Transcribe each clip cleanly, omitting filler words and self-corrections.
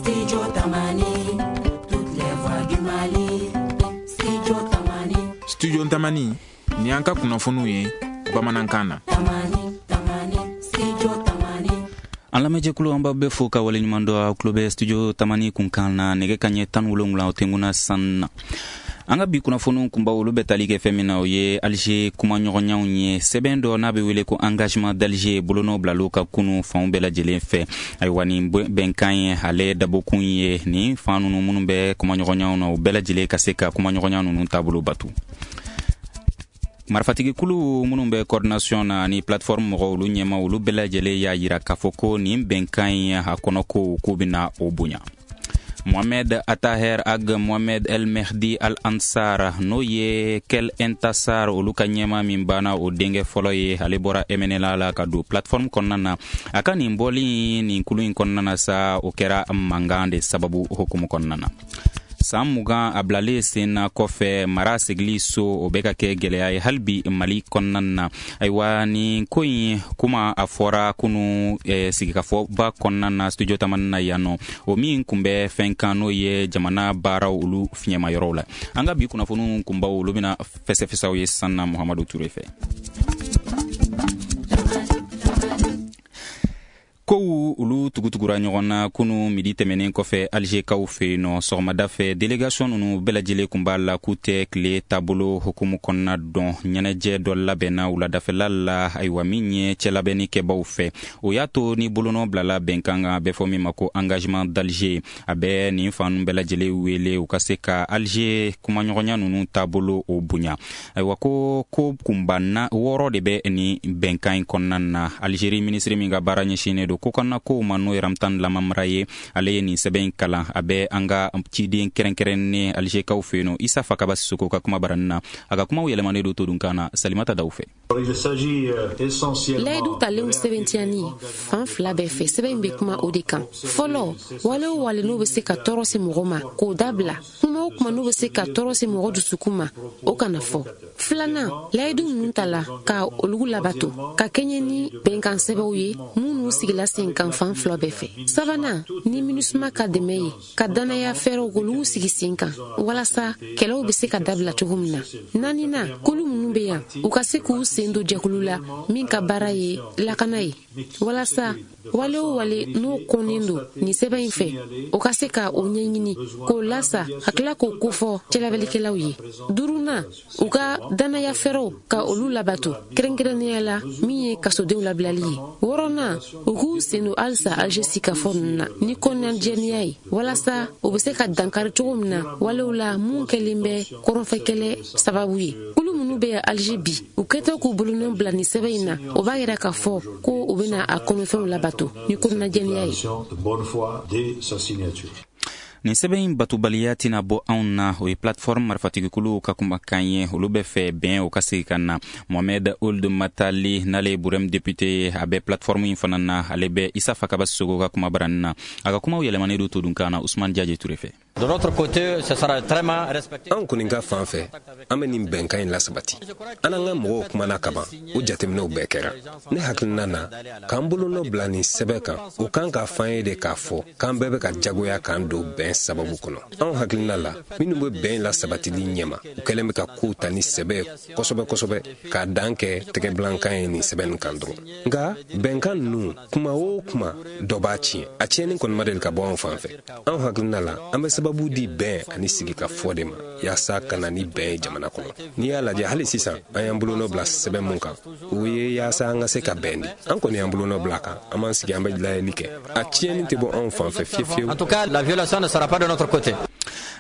Studio Tamani, toutes les voix du Mali. Studio Tamani. Studio Tamani, ni an ka kunnafoniw ye bamanankan na. Tamani, Tamani, Studio Tamani. An lamɛnjɛkulu, an b'aw bɛɛ fo ka waleɲuman dɔn. Aw tulo bɛ Studio Tamani kunkan na. Nɛgɛ ka ɲɛ 17, o tɛnkuna san na. An ka bi kunnafoniw kunbaw, olu bɛ tali kɛ fɛn min na, o ye Alger kumaɲɔgɔnyaw ye. Sɛbɛn dɔ n'a bɛ wele ko Engagement d'Alger, bolonɔ bilalo ka kunu fanw bɛɛ lajɛlen fɛ. Ayiwa, nin bɛnkan ye, ale dabɔkun ye nin fan ninnu minnu bɛ kumaɲɔgɔnyaw na, u bɛɛ lajɛlen ka se ka kumaɲɔgɔnya ninnu taabolo batu. Marifatigikulu minnu bɛ coordination na ani plateforme mɔgɔw, olu ɲɛma, olu bɛɛ lajɛlen y'a yira k'a fɔ ko nin bɛnkan in, a kɔnɔ ko k'u bɛna o bonya. Mohamed Ataher Ag Mohamed El Mehdi Al Ansar, n'o ye Kel Intasar olu ka ɲɛma min banna, o denkɛ fɔlɔ ye, ale bɔra MNLA la ka don plateforme kɔnɔna na. A ka nin bɔli nin kulu in kɔnɔna na sa, o kɛra mankan de sababu hukumu kɔnɔna na. San 20 a bilalen sen na kɔfɛ, mara sigili so, o bɛ ka kɛ gwɛlɛya ye hali bi Mali kɔnɔna na. Ayiwa, nin ko in kuma a fɔra kunu sigikafɔba kɔnɔna na Studio Tamani na yan nɔ, o min kun bɛ fɛn kan, n'o ye jamana baaraw olu fiɲɛma yɔrɔw la. An ka bi kunnafoniw kunbaw, olu bɛna fɛsɛfɛsɛw ye sisan na Muhamadu Ture fɛ. Kow olu tugutugura ɲɔgɔn na kunu midi tɛmɛnen kɔfɛ Alizekaw fɛ yen nɔ. Sɔgɔmada fɛ, délégation ninnu bɛɛ lajɛlen kun b'a la k'u tɛ tile taabolo hukumu kɔnɔna dɔn. Ɲɛnajɛ dɔ labɛnna wuladafɛla la. Ayiwa, min ye cɛlabɛnni kɛbaw fɛ, o y'a to ni bolonɔ bilala bɛnkan kan, a bɛ fɔ min ma ko Engagement d'Alger. A bɛ nin fan bɛɛ lajɛlen wele u ka se ka Alger kumaɲɔgɔnya ninnu taabolo o bonya. Ayiwa, ko kunba na wɔɔrɔ de bɛ nin bɛnkan in kɔnɔna na. Algérie minisiri min ka baara ɲɛsinnen don kokana kow ma, n'o ye Ramtan Lamamra ye, ale ye nin sɛbɛn in kalan. A bɛ an ka ciden kɛrɛnkɛrɛnnen Alizekaw fɛ yen nɔ, Isa Fakaba Sisoko ka kuma baranin na. A ka kumaw yɛlɛmanen don todunkan na Salimata Daw fɛ. Layidu talenw sɛbɛntiyani fan fila bɛɛ fɛ, sɛbɛn in bɛ kuma o de kan. Fɔlɔ, wale o wale n'o bɛ se ka tɔɔrɔ se mɔgɔ ma, k'o dabila. Kuma o kuma n'o bɛ se ka tɔɔrɔ se mɔgɔ dusukun ma, o kana fɔ. Filanan, layidu ninnu tala ka olu labato ka kɛɲɛ ni bɛnkan sɛbɛnw ye minnu sigila sen kan fan fila bɛɛ fɛ. Sabanan, ni MINUSMA ka dɛmɛ ye, ka dannaya fɛɛrɛw k'olu sigi sen kan walasa kɛlɛw bɛ se ka dabila cogo min na. Naaninan, kulu minnu bɛ yan, u ka se k'u sen don jɛkulu la min ka baara ye lakana ye, walasa wale o wale n'o kɔnnen don nin sɛbɛn in fɛ, o ka se ka o ɲɛɲini k'o lasa ka tila k'o kofɔ cɛlabɛlikɛlaw ye. Duurunan, u ka dannaya fɛɛrɛw ka olu labato, kɛrɛnkɛrɛnnenya la min ye kasodenw labilali ye. Wɔɔrɔnan, u k'u sen don halisa Alger sigikafɔ ninnu na ni kɔnɔnajɛlenya ye, walasa u bɛ se ka dankari cogo min na walew la mun kɛlen bɛ kɔrɔnfɛkɛlɛ sababu ye. Kulu minnu bɛ yan Alger bi, u kɛtɔ k'u bolonɔ bila nin sɛbɛn in na, o b'a yira k'a fɔ ko u bɛna a kɔnɔfɛnw labato ni kɔnɔnajɛlenya ye. Nin sɛbɛn in batobaliya tɛna bɔ anw na, o ye plateforme marifatigikuluw ka kumakan ye. Olu bɛ fɛ bɛn o ka segi ka na. Mohamed Ould Matali, n'ale ye Burem député ye, a bɛ plateforme in fana na, ale bɛ Isa Fakaba Sogo ka kuma baranin na. A ka kumaw yɛlɛmanen don todunkan na Usman Jaje Ture fɛ. Anw kɔni ka fan fɛ, an bɛ nin bɛnkan in lasabati. An n'an ka mɔgɔw kumana kaban, o jateminɛw bɛɛ kɛra. Ne hakilina na, k'an bolonɔ bila nin sɛbɛn kan, o kan k'a f'an ye de k'a fɔ k'an bɛɛ bɛ ka jagoya k'an don bɛn sababu kɔnɔ. Anw hakilina la, minnu bɛ bɛn lasabatili ɲɛma, u kɛlen bɛ ka kow ta ni sɛbɛ ye kosɛbɛ kosɛbɛ, k'a dan kɛ tɛgɛbilankan ye nin sɛbɛn kan dɔrɔn. Nka bɛnkan ninnu, kuma o kuma, dɔ b'a tiɲɛ. A tiɲɛni kɔni ma deli ka bɔ anw fan fɛ. Anw hakilina la, an bɛ sababu di bɛn ani sigikafɔ de ma yaasa ka na ni bɛn ye jamana kɔnɔ. N'i y'a lajɛ hali sisan, an y'an bolonɔ bila sɛbɛn mun kan, o ye yaasa an ka se ka bɛn di. An kɔni y'an bolonɔ bila kan, an b'an sigi, an bɛ layɛli kɛ. A tiɲɛni tɛ bɔ anw fan fɛ fiyewu fiyewu. En tout cas, la violation ne sera pas de notre côté.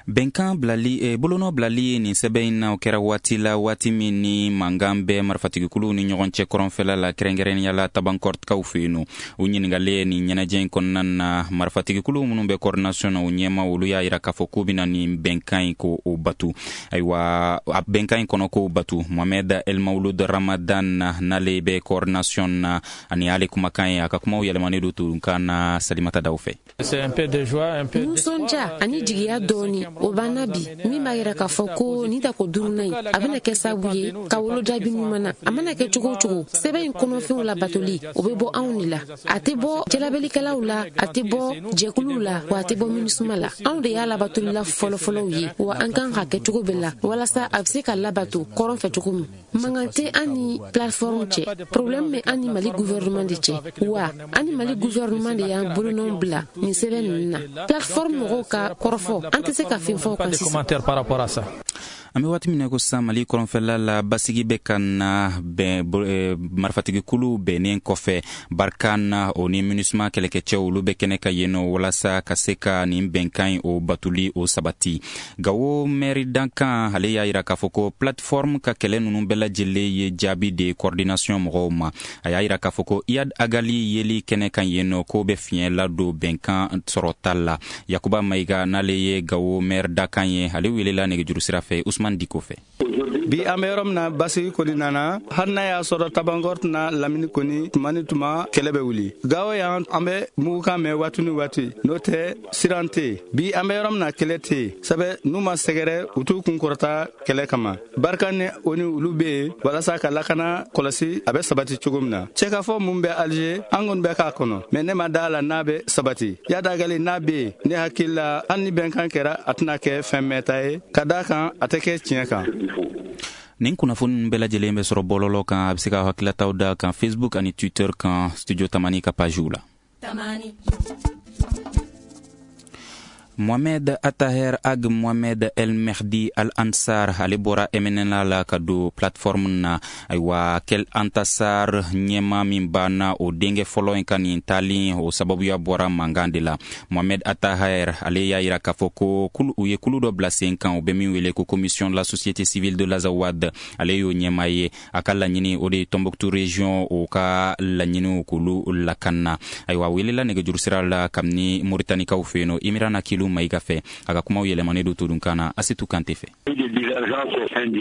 Bɛnkan bilali, bolonɔ bilali nin sɛbɛn in na, o kɛra waati la, waati min ni mankan bɛ marifatigikuluw ni ɲɔgɔn cɛ kɔrɔnfɛla la, kɛrɛnkɛrɛnnenya la Tabankɔrɔkaw fɛ yen nɔ. U ɲininkalen nin ɲɛnajɛ in kɔnɔna na, marifatigikuluw minnu bɛ coordination na, o ɲɛma, olu y'a yira k'a fɔ k'u bɛna nin bɛnkan in ko o batu. Ayiwa, a bɛnkan in kɔnɔ k'o batu. Mohamed El Maouloud Ramadan, n'ale bɛ coordination na, ani ale kumakan ye, a ka kumaw yɛlɛmanen don todunkan na Salimata Daw fɛ. Nisɔndiya ani jigiya dɔɔni. O banna bi, min b'a yira k'a fɔ ko nin tako duurunan in, a bɛna kɛ sababu ye ka wolo jaabi ɲuman na. A mana kɛ cogo o cogo, sɛbɛn in kɔnɔfɛnw labatoli, o bɛ bɔ anw de la. A tɛ bɔ jalabelikɛlaw la, a tɛ bɔ jɛkuluw la, wa a tɛ bɔ MINUSMA la. Anw de y'a labatolila fɔlɔfɔlɔw ye, wa an kan ka kɛ cogo bɛɛ la walasa a bɛ se ka labato kɔrɔn fɛ cogo min. Mankan tɛ an ni plateforme cɛ, problème bɛ an ni Mali gouvernement de cɛ, wa an ni Mali gouvernement de y'an bolonɔ bila nin sɛbɛn ninnu na. Plateforme mɔgɔw ka kɔrɔfɔ, an tɛ se ka fɛn fɔ o kan sisan. An bɛ waati min na ko sisan, Mali kɔrɔnfɛla la, basigi bɛ ka na bɛn marifatigikulu bɛnnen kɔfɛ. Barkhane o ni MINUSMA kɛlɛkɛcɛw, olu bɛ kɛnɛ ka yen nɔ walasa ka se ka nin bɛnkan in o batuli o sabati. Gawo mɛri dankan, ale y'a yira k'a fɔ ko plateforme ka kɛlɛ ninnu bɛɛ lajɛlen ye jaabi de coordination mɔgɔw ma. A y'a yira k'a fɔ ko Iyad Ag Ghali yeli kɛnɛ kan yen nɔ, k'o bɛ fiɲɛ ladon bɛnkan sɔrɔta la. Yakuba Mayiga, n'ale ye Gawo mɛri dakan ye, ale welela nɛgɛjuru sira fɛ Usman Diko fɛ. Bi an bɛ yɔrɔ min na, basigi kɔni nana, hali n'a y'a sɔrɔ Tabankɔrɔ tɛna lamini kɔni, tuma ni tuma kɛlɛ bɛ wuli. Gawo yan, an bɛ mugukan mɛn waati ni waati, n'o tɛ siran tɛ yen. Bi an bɛ yɔrɔ min na, kɛlɛ tɛ yen, sɛbɛ n'u ma sɛgɛrɛ, u t'u kun kɔrɔta kɛlɛ kama. Barkhane ni o ni olu bɛ yen walasa ka lakana kɔlɔsi, a bɛ sabati cogo min na. Cɛkafɔ mun bɛ Alger, an kɔni bɛ k'a kɔnɔ, mɛ ne ma da la n'a bɛ sabati. Iyad Ag Ghali n'a bɛ yen, ne hakili la, hali ni bɛnkan kɛra, a tɛna kɛ fɛn mɛnta ye, ka d'a kan a tɛ kɛ tiɲɛ kan. Nin kunnafoni ninnu bɛɛ lajɛlen bɛ sɔrɔ bɔlɔlɔ kan. A bɛ se ka hakililataw da kan Facebook ani Twitter kan, Studio Tamani ka pagew la. Tamani. Mohamed Attaher Ag Mohamed El Mehdi Al Ansar, ale bɔra MNLA la ka don plateforme na. Ayiwa, Kel Antasar ɲɛma min banna, o denkɛ fɔlɔ in ka nin taali o sababuya bɔra mankan de la. Mohamed Attaher, ale y'a yira k'a fɔ ko u ye kulu dɔ bila sen kan, u bɛ min wele ko Commission de la société civile de l'Azawad, ale y'o ɲɛma ye. A ka laɲini, o de ye Tombouctou région o ka laɲiniw k'olu lakana. Ayiwa, welela nɛgɛjuru sira la kabini Moritanikaw fɛ yen nɔ, Imirana Kilu Mayiga fɛ. A ka kumaw yɛlɛmanen don todunkan na Asetu Kante fɛ.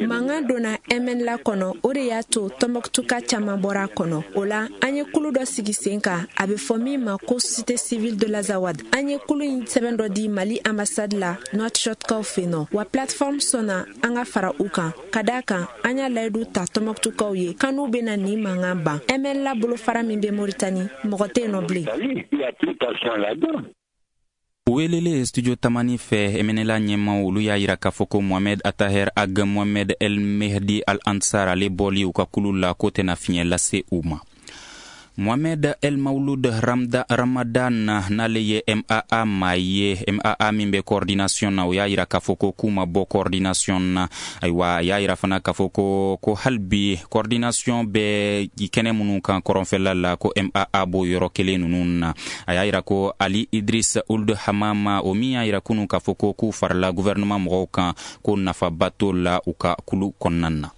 Mankan donna MNLA kɔnɔ, o de y'a to Tɔnbɔkutuka caman bɔra a kɔnɔ. O la, an ye kulu dɔ sigi sen kan, a bɛ fɔ min ma ko Société civile de l'Azawad. An ye kulu in sɛbɛn dɔ di Mali ambassade la Nouakchottkaw fɛ nɔ, wa plateforme sɔnna an ka fara u kan, ka d'a kan an y'a layidu ta Tɔnbɔkutukaw ye kan n'u bɛna nin mankan ban. MNLA bolofara min bɛ Moritani, mɔgɔ tɛ yen nɔ bilen. Welele Studio Tamani fɛ, MNLA ɲɛmaw, olu y'a yira k'a fɔ ko Mohamed Ataher Ag Mohamed El Mehdi Al Ansar, ale bɔli u ka kulu la, k'o tɛna fiɲɛ lase u ma. Mohamed El Maouloud Ramda Ramadan, n'ale ye MAA maa ye, MAA min bɛ coordination na, o y'a yira k'a fɔ ko k'u ma bɔ coordination na. Ayiwa, a y'a yira fana k'a fɔ ko hali bi coordination bɛ kɛnɛ minnu kan kɔrɔnfɛla la, ko MAA b'o yɔrɔ kelen ninnu na. A y'a yira ko Ali Idris Ould Hamama, o min y'a yira kunun k'a fɔ ko k'u farala gouvernement mɔgɔw kan, ko nafaba t'o la u ka kulu kɔnɔna na.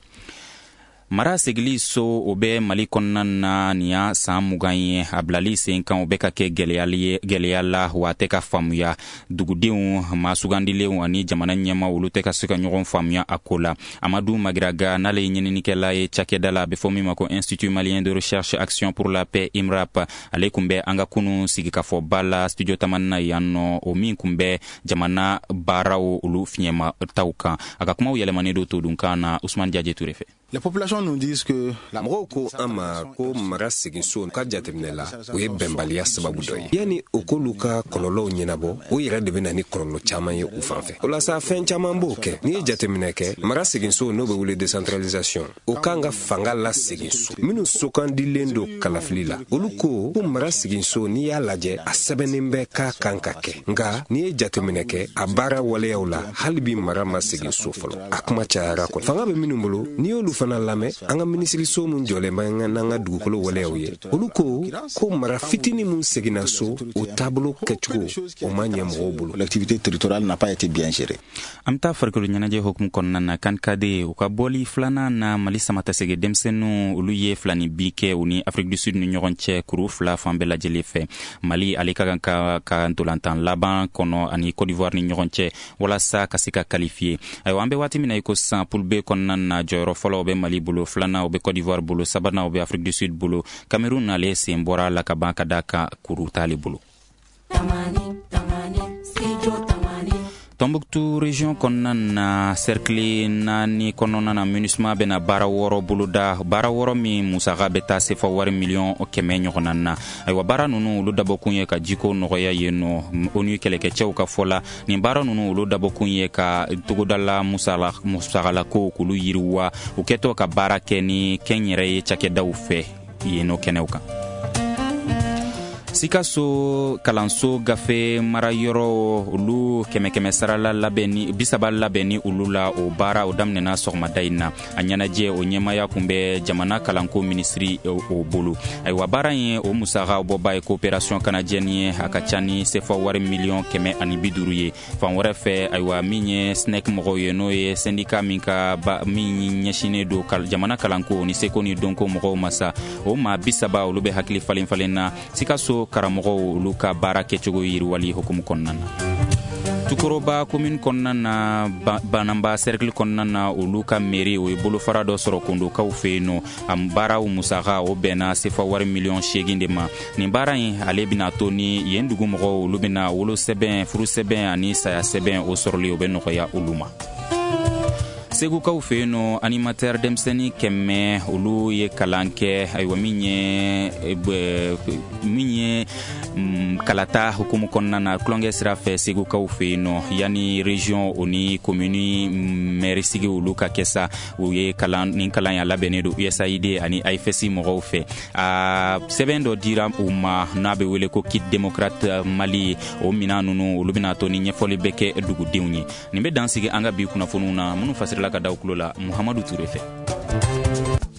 Mara segili so, o bɛ Mali kɔnɔna na nin y'a san 20 ye. A bilali sen kan, o bɛ ka kɛ gɛlɛya la, wa a tɛ ka faamuya. Dugudenw, maa sugandilenw ani jamana ɲɛma, olu tɛ ka se ka ɲɔgɔn faamuya a ko la. Amadu Magiraga, n'ale ye ɲininikɛla ye cakɛda la a bɛ fɔ min ma ko Institut malien de recherche action pour la paix, IMRAP, ale kun bɛ an ka kunu sigikafɔba la Studio Tamani na yan nɔ, o min kun bɛ jamana baaraw olu fiɲɛma taw kan. A ka kumaw yɛlɛmanen don todunkan na Usman Jaje Ture fɛ. Les populations nous disent que Mɔgɔw ko an ma ko mara seginso ka jateminɛ la, o ye bɛnbaliya sababu dɔ ye. Yanni o k'olu ka kɔlɔlɔw ɲɛnabɔ, o yɛrɛ de bɛ na ni kɔlɔlɔ caman ye u fan fɛ. O la sa, fɛn caman b'o kɛ. N'i ye jateminɛ kɛ, mara seginso, n'o bɛ wele décentralisation, o kan ka fanga lasegin so minnu sokandilen don kalafili la. Olu ko ko mara seginso, n'i y'a lajɛ, a sɛbɛnnen bɛ k'a kan ka kɛ, nka n'i ye jateminɛ kɛ a baara waleyaw la, hali bi mara ma segin so fɔlɔ. A kuma cayara kɔni. Fanga bɛ minnu bolo, n'i y'olu fana lamɛn, an ka minisiriso mun jɔlen bɛ n'an ka dugukolo waleyaw ye, olu ko ko mara fitinin mun seginna so, o taabolo kɛcogo, o ma ɲɛ mɔgɔw bolo. L'activité territoriale n'a pas été bien gérée. An bɛ taa farikolo ɲɛnajɛ hukumu kɔnɔna na. CAN cadets, u ka bɔli filanan na, Mali samatasɛgɛ denmisɛnninw, olu ye 2 ni bi kɛ u ni Afrique du Sud ni ɲɔgɔn cɛ, kuru 2 fan bɛɛ lajɛlen fɛ. Mali, ale ka kan ka ntolantan laban kɔnɔ ani Côte d'Ivoire ni ɲɔgɔn cɛ walasa ka se ka qualifier. Ayiwa, an bɛ waati min na i ko sisan, poule B kɔnɔna na, jɔyɔrɔ fɔlɔ, o bɛ Mali bolo, filanan, o bɛ Côte d'Ivoire bolo, sabanan, o bɛ Afrique du Sud bolo. Cameroun, ale sen bɔra la ka ban, ka da kan kuru t'ale bolo. Tamani, Tamani, Studio Tamani. Tombouctou région kɔnɔna na, cercle naani kɔnɔna na, MINUSMA bɛna baara wɔɔrɔ boloda, baara wɔɔrɔ min musaka bɛ taa sefa wari miliyɔn 100 ɲɔgɔnna na. Ayiwa, baara ninnu olu dabɔkun ye ka jiko nɔgɔya yen nɔ. ONU kɛlɛkɛcɛw ka fɔ la, nin baara ninnu olu dabɔkun ye ka togodala musagalako k'olu yiriwa, u kɛtɔ ka baara kɛ ni kɛnyɛrɛye cakɛdaw fɛ yen nɔ kɛnɛw kan. Sikaso kalanso gafe marayɔrɔ olu kɛmɛ kɛmɛ sarala labɛnni 30 labɛnni olu la, o baara o daminɛna sɔgɔmada in na. A ɲɛnajɛ o ɲɛmaya kun bɛ jamana kalanko minisiri o bolo. Ayiwa, baara in o musaka bɔba ye coopération canadienne ye. A ka ca ni sefa wari miliyɔn 150 ye. Fan wɛrɛ fɛ, ayiwa, min ye SNEC mɔgɔw ye, n'o ye syndicat min ka min ɲɛsinnen don jamana kalanko ni seko ni dɔnko mɔgɔw ma sa, o maa 30 olu bɛ hakili falen falen na Sikaso karamɔgɔw olu ka baara kɛcogo yiriwali hukumu kɔnɔna na. Tukoroba commune kɔnɔna na, Bananba cercle kɔnɔna na, olu ka mairie o ye bolofara dɔ sɔrɔ kondokaw fɛ yen nɔ. A baaraw musaka o bɛnna sefa wari miliyɔn 8 de ma. Nin baara in ale bɛna to ni yen dugu mɔgɔw olu bɛna wolosɛbɛn, furusɛbɛn ani saya sɛbɛn o sɔrɔli o bɛ nɔgɔya olu ma. Segukaw fɛ yen nɔ, animateur denmisɛnnin 100 olu ye kalan kɛ. Ayiwa, min ye kalata hukumu kɔnɔna na, tulonkɛ sira fɛ segukaw fɛ yen nɔ, yanni région o ni commune maire sigi olu ka kɛ sa, u ye kalan. Nin kalan ya labɛnnen don USAID ani AIFS mɔgɔw fɛ. A sɛbɛn dɔ dira u ma n'a bɛ wele ko kit démocrate Mali. O minan ninnu olu bɛna to ni ɲɛfɔli bɛ kɛ dugudenw ye. Nin bɛ dan sigi an ka bi kunnafoniw na minnu fasirila ka da tulo la Muhamadu Ture fɛ.